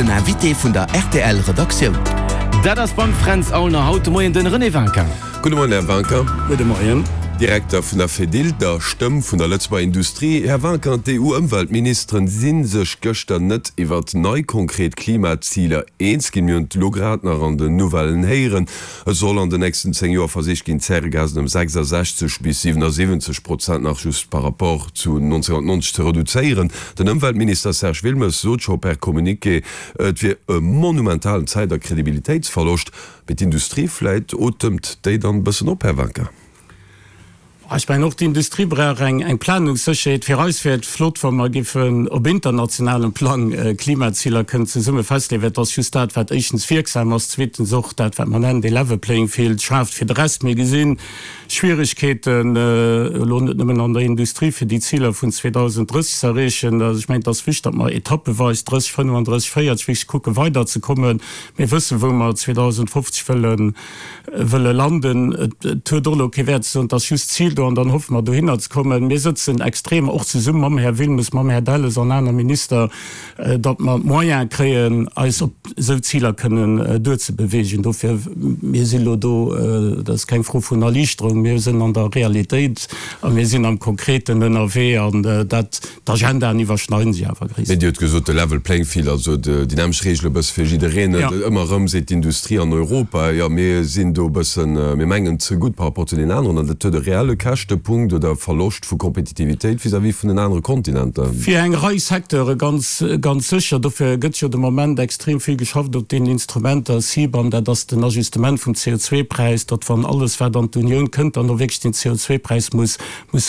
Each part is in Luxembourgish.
Den Invité vun der rtl Redaktioun. Dat ass beim Fränz Aulner haut de Moien den René Winkin. Gudde Moien, Här Winkin. Gudde Moien. Direkter vun der Fedil, der Stëmm vun der Lëtzebuerger Industrie. Här Winkin, d'EU-Ëmweltministeren si sech gëschter net iwwert nei konkret Klimaziler eens ginn. Mir hunn et elo grad nach an den Nouvellen héieren. Et soll an den nächsten 10 Joer versicht ginn, d'Zäregasen ëm 66 bis 77 Prozent nach just par rapport zu 1990 ze reduzéieren. Den Ëmweltminister Serge Wilmes sot scho per Communiqué, et wier e monumentalen Zäit a Kredibilitéitsverloscht. Mee d'Industrie, vläit otemt déi dann e bëssen op, Här Wanka? Ech mengen, och d'Industrie brauch eng Planungssécherheet. Fir eis wär et flott, wa mer giffen op internationalem Plang Klimaziler kënnen zesumme festleeën, well et ass just dat, wat éischtens wierksam ass, zweetens och dat, wat mer nennen dee level playing field schaaft fir de Rest. Mir gesi Schwieregkeeten, elo net nëmmen an der Industrie, fir déi Ziler vun 2030 ze erreechen. Also ech mengen, et ass wichteg, datt mer etappeweis 30, 35, 40 wierklech kucke weiderzekommen. Mir wëssen, wou mer 2050 wëllen wëlle landen. Et huet och elo kee Wäert ze soen, et ass just d'Zil do an dann hoffe mer dohinner ze kommen. Mir sëtzen extrem och zesumme mam Här Wilmes, mam Här Delles an aner Minister, datt mer d'Moyene kréien, eis op esou Ziler kënnen duerzebewegen. Dofir, mir si elo do, dat ass keng Fro vun Erliichterung, mir sinn an der Realitéit a mir sinn am Konkreten ënnerwee an dat, D'Agendaen iwwerschneiden sech awer gréisstendeels. Mee Dir hutt gesot, de level playing field, also déi nämmlecht Reegele bësse fir jiddereen. Ëmmer erëm seet d'Industrie an Europa, jo mir sinn do e bëssen, mir mengen ze gutt par rapport zu deenen aneren. An dat huet e reelle Käschtepunkt oder Verloscht vu Kompetitivitéit vis-à-vis vun den anere Kontinenter. Fir eng Rei Secteure ganz, ganz sécher. Dofir gëtt jo de Moment extrem vill geschafft op deenen Instrumenter, CBAM, dat ass den Ajustement vum CO2-Präis, datt wann alles wat an d'Unioun kënnt, dann och wierklech den CO2-Präis muss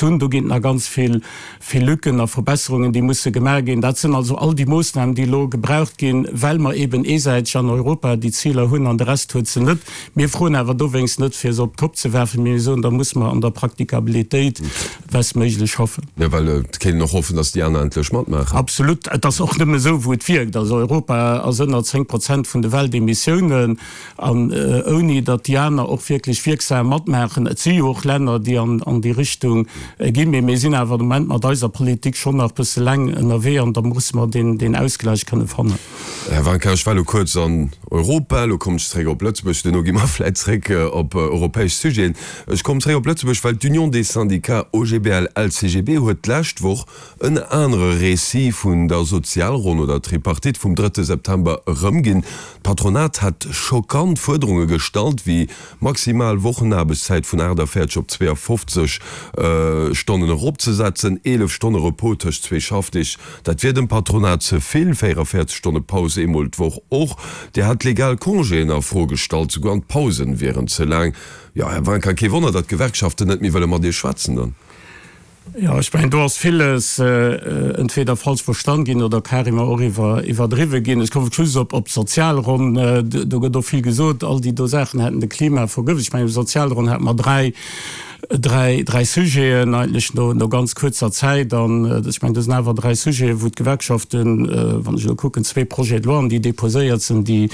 hunn. Do ginn et nach ganz vill Vill Lücken a Verbesserungen, déi musse gemaach ginn. Dat sinn also all déi Moossnamen, déi elo gebraucht ginn, well mer eben eesäiteg an Europa déi Ziler hunn an de Rest huet se net. Mir froen awer dowéinst net, fir se op d'Kopp ze werfen, mee mir soen, da musse mer an der Praktikabilitéit bestméiglech schaffen. Jo, well et kéint een och hoffen, datt déi aner endlech matmaachen. Absolut. Et ass och nëmme esou, wou et wierkt. Also Europa ass ënner 10 Prozent vun de Weltemissiounen. An ouni datt déi aner och wierklech wierksam matmaachen. Et si jo och Länner, déi an déi Richtung ginn, mee mir sinn awer de Moment mat eiser Politik schonn nach e bësse laang ënnerwee an da musse mer deen Ausgleich kënne fannen. Här Wanka, ech war elo kuerz an Europa, elo kommen ech zeréck op Lëtzebuerg, duerno gi mer vläit zeréck op europäesch Sujeten. Ech kommen zeréck op Lëtzebuerg, well d'Union des Syndicats OGBL-LCGB huet d'lescht Woch en anere Récit vun der Sozialronn oder Tripartite vum drëtte September erëmginn. D'Patronat hätt schockant Fuerderunge gestallt, wéi maximal Wochenaarbechtszäit vun 48 op 52 Stonnen eropzesetzen, 11 Stonne Repos tëscht zwee Schaffdeeg, dat wier dem Patronat ze vill, 44 Stonne Paus eemol d'Woch och. Dir hat legal Congéen a Fro gestallt, souguer an d'Pausen wieren ze laang. Jo, Här Wanka, kee Wonner, datt d'Gewerkschaften net méi wëlle mat Iech schwätzen dann. Jo, ech mengen, do ass villes entweder falsch verstan ginn oder carrément och iwwerdriwwe ginn. Ech komme just op d'Sozialronn. Do gëtt och vill gesot, all déi do Saachen hätten de Klima vergëft. Ech mengen, op der Sozialronn hate mer dräi, dräi, dräi Sujeten eigentlech no, no ganz kuerzer Zäit. An ech mengen, do sinn awer dräi Sujeten, wou d'Gewerkschaften, wann ech elo kucken, zwee Projets de loi, déi déposéiert sinn, déi,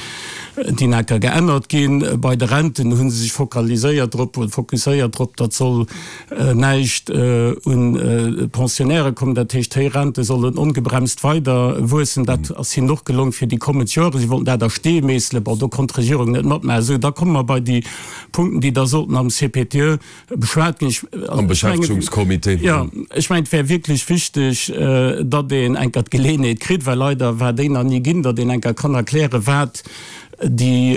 déi nach geännert ginn. Bei de Renten hu se sech focaliséiert drop, fokusséiert drop, datt soll, näischt un d'Pensionnairë kommen, dat heescht héich Rente sollen ongebremst weider wuessen. Dat ass hinnen och gelong fir déi kommend Joren. Si wollten dat a Stee meesselen, bon do konnt d'Regierung net matmaachen. Esou, da komme mer bei déi Punkten, déi da sollten am CPTE beschwat ginn. Am Beschäftegungscomité. Jo, ech mengen et wär wierklech wichteg, datt een enker d'Geleeënheet kritt, well leider war déi nach ni ginn, datt een enker kann erklären, wat déi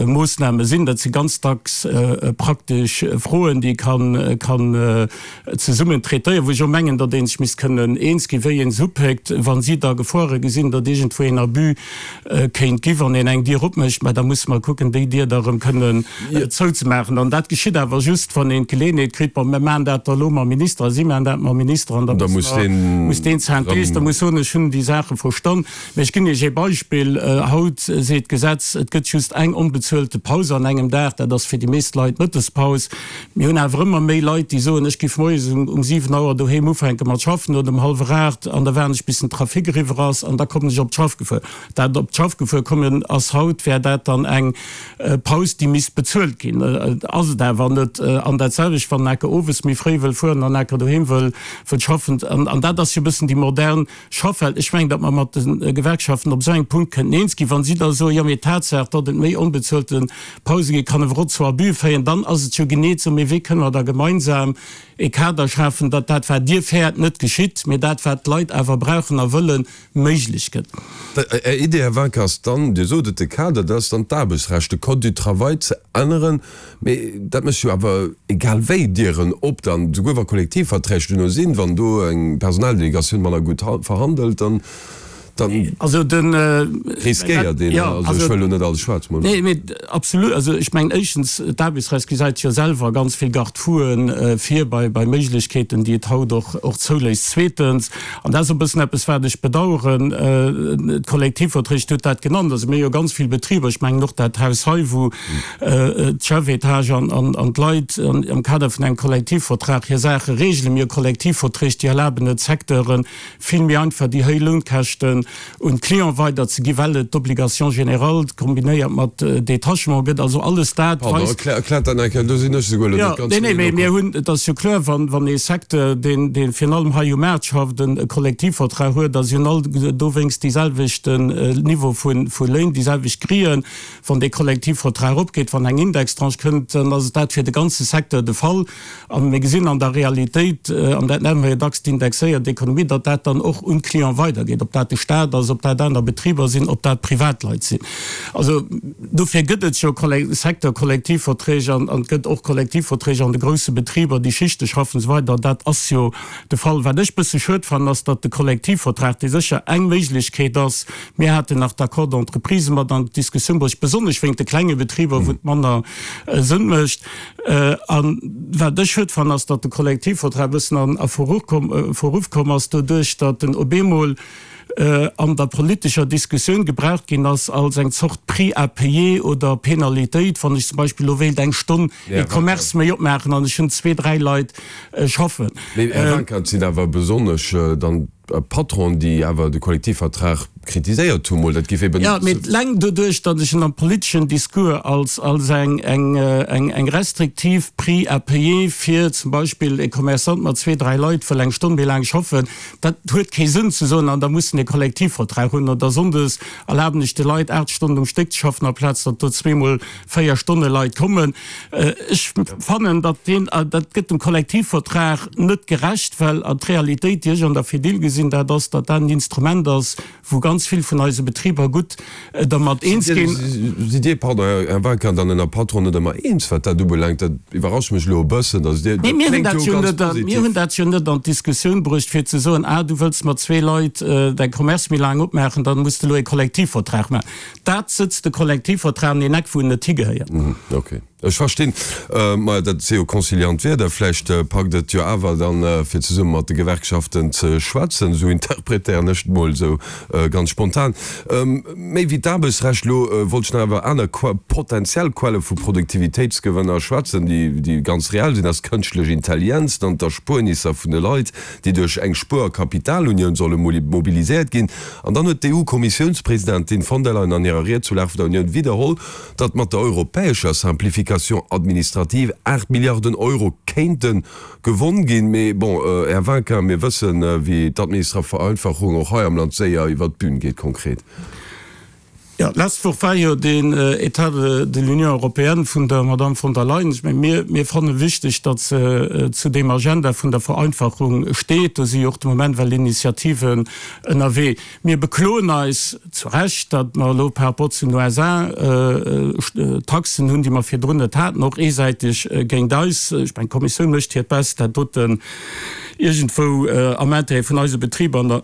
Moossname sinn. Dat si ganz dacks praktesch Froen, déi ee kann zesummen traitéieren, wou ech och mengen, datt ee sech misst kënnen eens ginn, wéi een se upéckt. Wa si da Gefoire gesinn, datt iergendwou een Abus kéint ginn, wann een eng Dier opmécht, mä da musse mer kucken, déi Dier da erëm kënnen zouzemaachen. An dat geschitt awer just, wann een d'Geleeënheet kritt, Bon, mir maachen dat da elo mam Minister a si maachen dat mam Minister an da muss deen Synthese, da muss soen, ech hunn déi Saache verstan. Mä ech ginn Iech ee Beispill, Haut seet d'Gesetz. et gëtt just eng onbezuelte Paus an engem Dag, dat ass fir déi meescht Leit d'Mëttespaus. Mir hunn awer ëmmer méi Leit, déi soen, ech giff moies um 7 Auer doheem ufänke mat schaffen oder um hallwer 8 an da waarden ech bis den Trafic eriwwer ass an da kommen ech op d'Schaff gefuer. Dat op d'Schaff gefuer kommen ass haut, wär dat dann eng Paus, déi misst bezuelt ginn. Ass et awer net. An dat selwecht, wann en Aker owes méi fréi wëll fueren an Aker doheem wëll schaffen. An dat ass jo e bëssen déi modern Schaffwelt. Ech mengen, datt mer mat de Gewerkschaften op esou engem Punkt kënnten eens ginn. Wa si da soen, jo, mee d'Tatsaach, datt et méi onbezuelte Pause gi kann awer och zu Abuse féieren, dann ass et jo genee esou. Mee wéi kënne mer da gemeinsam e Kader schafen, datt dat, wat Dir fäert, net geschitt, mee dat, wat d'Leit awer brauchen a wëllen, méiglech gëtt? Är Idee, Här Wanka, ass dann, Dir sot et, de Kader, dat ass dann d'Aarbechtsrecht, de Code du travail ze änneren. Mee dat mécht jo awer egal wéi Dieren op dann, souguer wa Kollektivverträg duerno sinn, wann do eng Personaldelegatioun manner gutt verhandelt, dann riskéiert een, also ech wëll elo net alles schwaarz molen. Nee, mee absolut, also ech mengen éischtens, d'Aarbechtsrecht gesäit jo selwer ganz vill Garde-fouen vir bei Méiglechkeeten, déi et haut och zouléisst. Zweetens, an dat ass e bëssen eppes wat ech bedauern, d'Kollektivverträg, Dir hutt dat genannt, also mir hu jo ganz vill Betriber, ech mengen och dat Haus hei, wou d'Chefetage an d'Leit am Kader vun engem Kollektivvertrag hir Saache regelen. Mir hu Kollektivverträg, déi erlaben et Secteure vill méi einfach déi héich Lounkäschten un d'Clienten weiderzeginn, well et d'Obligation générale kombinéiert mat Détachement gëtt. Also alles dat weist. Pardon, erkläert dat nach eng Kéier, do sinn ech esouguer elo net ganz méi no komm. Mir hunn, et ass jo kloer, wann ee Secteur, deen virun allem hei um Maart schafft, e Kollektivvertrag huet, da si hunn all dowéinst déi selwechten Niveau vu Léin, déi selwecht Grillen. Wann dee Kollektivvertrag eropgeet, wann eng Indextranche kënnt, dann ass et dat fir de ganze Secteur de Fall. A mir gesinn an der Realitéit, an dat nenne mer jo dacks d'indexéiert Ekonomie, datt dat dann och un d'Client weidergeet, ob dat de Stat ass, ob dat aner Betriber sinn, ob dat Privatleit sinn. Also dofir gëtt et jo Secteur-Kollektivverträg an et gëtt och Kollektivverträg an de grousse Betriber, déi Schichte schaffen an esou weider. Dat ass jo de Fall. Wat ech bësse schued fannen, ass, datt de Kollektivvertrag, dee sécher eng Méiglechkeet ass, Mir haten nach d'Accords d'entreprise mat an d'Diskussioun bruecht, besonnesch wéinst de klenge Betriber, wou et manner Sënn mécht. A wat ech schued fannen, ass, datt de Kollektivvertrag e bëssen a Verruff komm ass doduerch, datt en op eemol an der politescher Diskussioun gebraucht ginn ass als eng Zort Prix à payer oder Penalitéit, wann ech zum Beispill elo wéilt eng Stonn e Commerce méi opmaachen an ech hunn zwee, dräi Leit schaffen. Mee, Här Wanka, et sinn awer besonnesch dann Patronen, déi awer de Kollektivvertrag kritiséiert hu mol, dat géif eben. Jo, mee eleng doduerch, datt ech en am politeschen Discours als als eng eng eng restriktiv Prix à payer fir zum Beispill e Commerçant mat zwee, dräi Leit wëll eng Stonn méi laang schaffen, dat huet kee Sënn ze soen, an da muss en e Kollektivvertrag hunn oder sonndes erlaben ech de Leit 8 Stonnen um Stéck ze schaffen amplaz datt do zweemol 4 Stonne Leit kommen. Ech fannen, datt deen, dat gëtt dem Kollektivvertrag net gerecht, well d'Realitéit, déi ech an der Fedil gesinn, dat ass, datt dat en Instrument ass, wou ganz vill vun eise Betriber gutt dermat eens ginn. Sidd Dir, pardon, Här Wagner, dann ënner Patron net ëmmer eens, wat dat ubelaangt? Dat iwwerrascht mech elo e bëssen, datt Dir, dat kléngt jo ganz positiv. Mir hunn dat jo net an d'Diskussioun bruecht, fir ze soen, ah, du wëlls mat zwee Leit däi Commerce méi laang opmaachen, dann muss de elo e Kollektivvertrag maachen. Dat sëtzt de Kollektivvertrag an een Eck, wou en net higehéiert. Ok, ech verstinn. Majo, dat si jo conciliant Wierder. Vläicht packt et jo awer dann, fir zesumme mat de Gewerkschaften ze schwätzen. Esou interpretéieren ech et mol esou ganz spontan. Méi wéi d'Aarbechtsrecht elo wollt ech nach iwwer aner potenziell Quelle vu Produktivitéitsgewënner schwätzen, déi ganz reell sinn. Dat ass d'kënschtlech Intelligenz, dann d'Erspuernisser vun de Leit, déi duerch eng Spuer a Kapitalunioun solle mobiliséiert ginn. An dann huet d'EU-Kommissiounspresidentin von der Leyen an hirer Ried zur Lag vun der Unioun widderholl, datt mat der europäescher Simplification administrative 8 Milliarden Euro kéinte gewonn ginn. Mee bon, Här Vinquin, mir wëssen, wéi d'administrav Vereinfachung och hei am Land séier iwwert d'Bün geet, konkret. Jo, d'lescht Woch war jo den État de l'Union européenne vun der Madame von der Leyen. Ech mengen, mir, mir fanne wichteg, datt se zu deem Agenda vun der Vereinfachung steet. Do si jo och de Moment well Initiativen ënnerwee. Mir bekloen eis zu Recht, datt mer elo par rapport zu den USA Taxen hunn, déi mer virdrun net haten, och eesäiteg géint eis. Ech mengen, d'Kommissioun mécht hiert Best, dat doten iergendwou am Intérêt vun eise Betriber an der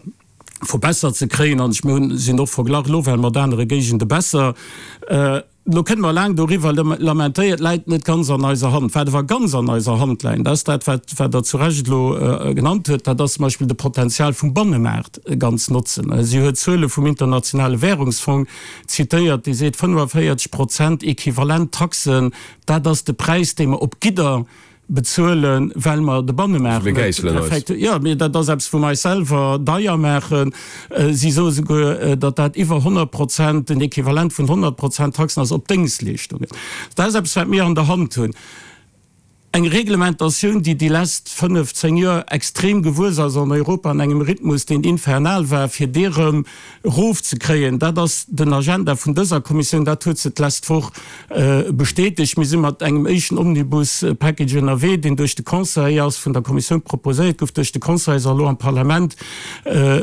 verbessert ze kréien an ech mir hunn sinn och verglach elo well mat anere Géigende besser. Elo kënne mer laang doriwwer lamentéieren, et läit net ganz an eiser Hand. Wat awer ganz an eiser Hand läit, dat ass dat, wat wat Der zu Recht elo genannt huet, dat ass zum Beispill de Potenzial vum Bannemaart ganz notzen. Si huet Zuele vum Internationale Währungsfong zitéiert, dee seet, 45 Prozent equivalent Taxen, dat ass de Präis, dee mer op Gidder bezuelen, well mer de Bannemaart net perfekt hunn. Jo, mee dat ass eppes, wou mer eis selwer deier maachen. Si soe souguer, datt dat iwwer 100 Prozent, den Equivalent vun 100 Prozent Taxen ass op Déngschtleeschtungen. Dat ass eppes, wat mir an der Hand hunn. Eng Reglementatioun, déi déi lesst fënnef, zéng Joer extrem gewuess ass an Europa an engem Rhythmus, deen infernal war, fir dee rëm erofzekréien, dat ass den Agenda vun dëser Kommissioun. Dat huet se d'lescht Woch Bestätegt. Mir si mat engem éischten Omnibus-Package ënnerwee, deen duerch de Conseil ass, vun der Kommissioun proposéiert gouf, duerch de Conseil ass a elo am Parlament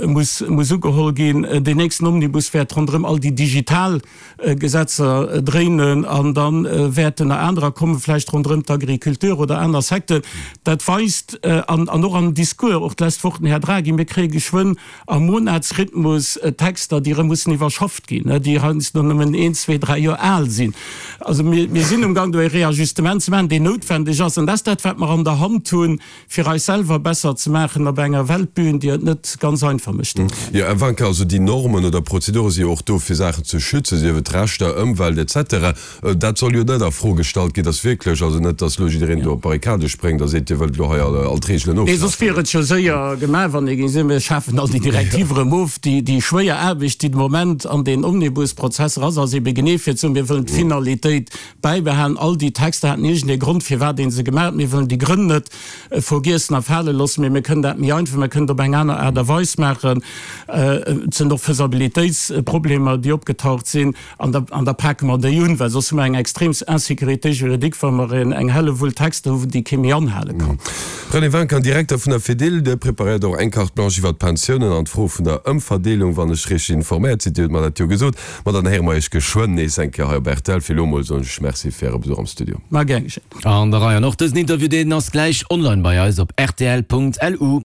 muss muss ugeholl ginn. Deen nächsten Omnibus wäert ronderëm all déi digital Gesetzer dréinen an da wäerten nach anerer kommen, vläicht ronderëm d'Agriculture oder aner Secteuren. Dat weist, an och am Discours, och d'lescht Woch den Här Draghi, mir kréie geschwënn am Monatsrhythmus Texter, déi erëm mussen iwwerschafft ginn, déi heiansdo nëmmen een, zwee, dräi Joer al sinn. Also mir, mir sinn umgang do e Réajustement ze maachen, deen noutwendeg ass. An dat ass dat, wat mer an der Hand hunn, fir eis selwer besser ze maachen op enger Weltbühn, déi et net ganz einfach mécht. Jo, Här Wanka, also déi Normen oder Prozedure si jo och do, fir Saachen ze schützen, sief et Rechter, Ëmwelt et cetera. Dat soll jo net a Fro gestallt ginn, dass wierklech, also net, dass elo jiddereen do op d'Barrikade spréngt a seet, Dir wëllt elo hei all d'Reegelen Nee, soss ofschafen. wier et jo séier gemaach, wann ee géing soen, mir schafen all déi Direktiv erëm of. Déi, déi schwéier Aarbecht, déi de Moment an deen Omnibusprozess erass ass, ebe genee fir ze soen, mir wëllen d'Finalitéit bäibehalen. All déi Texter haten iergendee Grond, firwat ee se gemaach huet. Mir wëllen déi Grënn net vergiessen a fale loossen, mee mir kënnen dat méi einfach, mir kënnen et op eng aner Aart a Weis maachen. Et sinn och Faisabilitéitsproblemer, déi opgetaucht sinn. An da, an da pake mer déi un, well soss hu mer eng extrem Insécurité juridique, wa mer en, eng Hellewull Texter hu, déi kee méi anhale kann. René Winkin, Direkter vun der Fedil, Dir preparéiert och eng Carte blanche iwwert d'Pensiounen an d'Fro vun der Ëmverdeelung, wann ech richteg informéiert sinn. Dir hutt mer dat jo gesot. Ma dann héiere mer Iech geschwënn nees eng Kéier hei op rtl. Fir elo emol soen ech Merci fir Äre Besuch am Studio. Ma gär geschéen. An der Rei. An och dësen Interview, deen ass gläich online bei eis op rtl.lu.